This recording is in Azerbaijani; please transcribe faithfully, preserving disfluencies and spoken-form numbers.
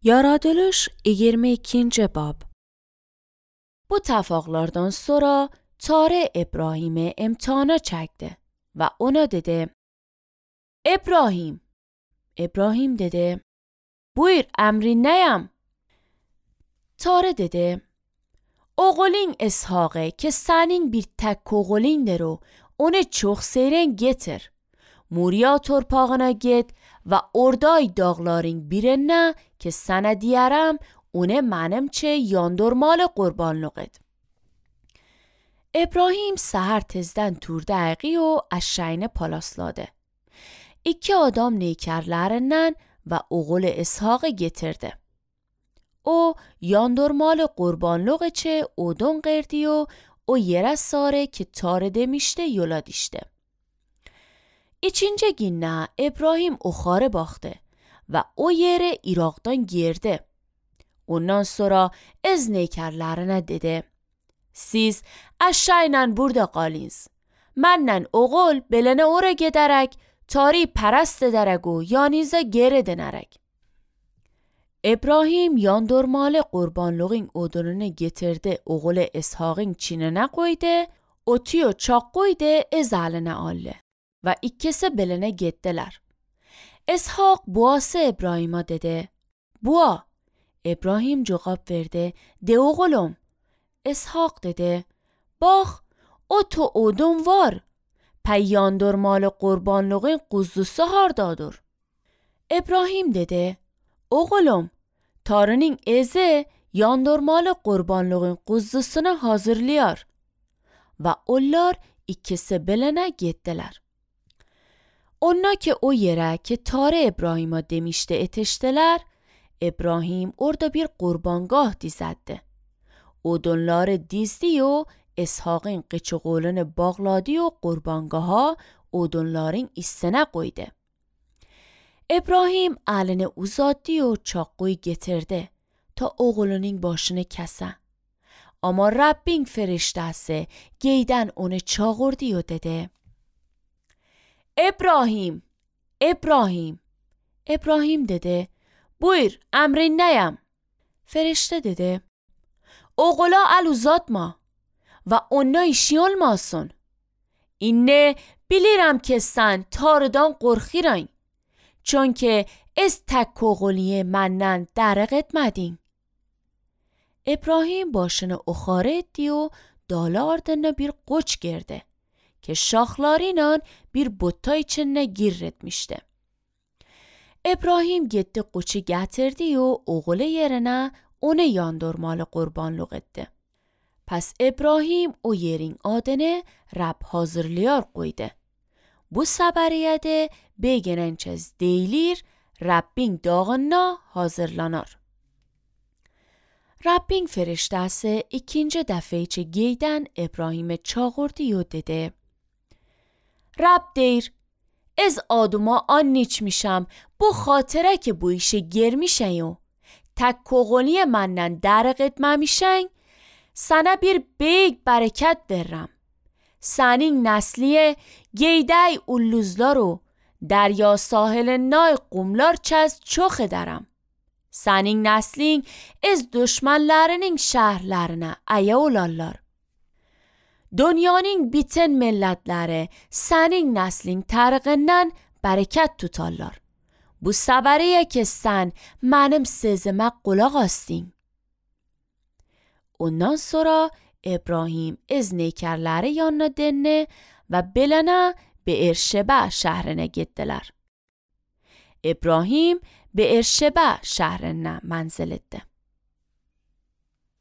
Yaratılış yigirma ikkinchi bob. Bu tafaqlardan sonra Tare İbrahim'e imtihana çekti ve ona dedi: İbrahim. İbrahim dedi: Buyur, emrin neyim? Tare dedi: Oğulun İshak'ı ki senin bir tek oğulundur o, onu çok seyren getir. Moriya torpağına git ve oradای dağların birine که sana diyarım onu منimçe yandırmalı qurbanlıq et. İbrahim səhər tezdən turda ayği o eşeğini palasladı. İki adam neykarlarından ve oğul İshak'ı getirdi. O yandırmalı qurbanlıq için odun qirdi و o yere sarı ki Tare demişti yola dişti. İkinci günne İbrahim oxarı baxdı ve o yere Irak'tan girdi. Ondan sonra ez neykarlarına dedi: Siz eşeğinle burada qalınız. Mənlə oğul belene ora giderek Tari perest ederek o yanınıza geri dönerek. İbrahim yandırmalı qurbanlığın odununu getirdi, oğul İshak'ın çinine koydu, otuyu çak koydu, ez eline aldı ve ikisi belene gittiler. İshak buası İbrahim'a dedi: Bua. İbrahim cevap verdi: De oğlum. İshak dedi: Bak, o to odun var. Pey yandırmalı qurbanlığın quzusu hardadır? İbrahim dedi: Oğlum, Tare'nin ezi yandırmalı qurbanlığın quzusunu hazırlıyor. Ve onlar ikisi belene gittiler. Onlar ki o yere ki Tare İbrahim'a demişti etiştiler, İbrahim orada bir qurbanگاه dizdi. Odunları dizdi و İshak'ın qıçıqolunu bağladı و qurbanگاه'a odunların üstüne koydu. İbrahim elini uzattı و çakıyı getirdi ta oğlunun başını kese. Ama Rabbin فرشته‌si geyden onu çağırdı و dedi: İbrahim, İbrahim. İbrahim dedi: Buyur, emrin neyim? Ferişte dedi: Oğula el uzatma ve ona işi olmasın. İnne bilirim ki sen Tare'dan qorxirən. Çünkü ez tek oğuliye menden درق etmedin. İbrahim başını oxarı etdi و dalı ardına bir qoç girdi ki şaxlarıyla bir butta içine gir etmişti. İbrahim gitti qoçu getirdi و oğulu yerine onu yandırmalı qurbanlıq etdi. Pes İbrahim o yerin adını Rab hazırlıyor koydu. Bu səbəriyyədə beginençez deyilir, Rabbin dağına hazırlanır. Rabbin فرشته‌si ikinci dəfə içi geydən İbrahim'e çağırdı و dedi: Rab deyir, ez adıma an içmişəm, bu xatirə ki bu işe girmişən و tek koğuliye məndən dərq etməmişən, sana bir büyük bereket veririm. Senin nesliye geyday ulluzlar و دریا ساحل نای قumlar çez çok ederim. Senin neslin ez düşmanlarının şehirlerine aya olarlar. Dünyanın bütün milletleri senin neslin tarığından bereket tutarlar. Bu səbəriyə ki sen mənim sözümə qulaq asdin. Ondan sonra İbrahim ez neykarları yanına döndü ve belene Beerşeba şehrine gittiler. İbrahim Beerşeba şehrine menzil etti.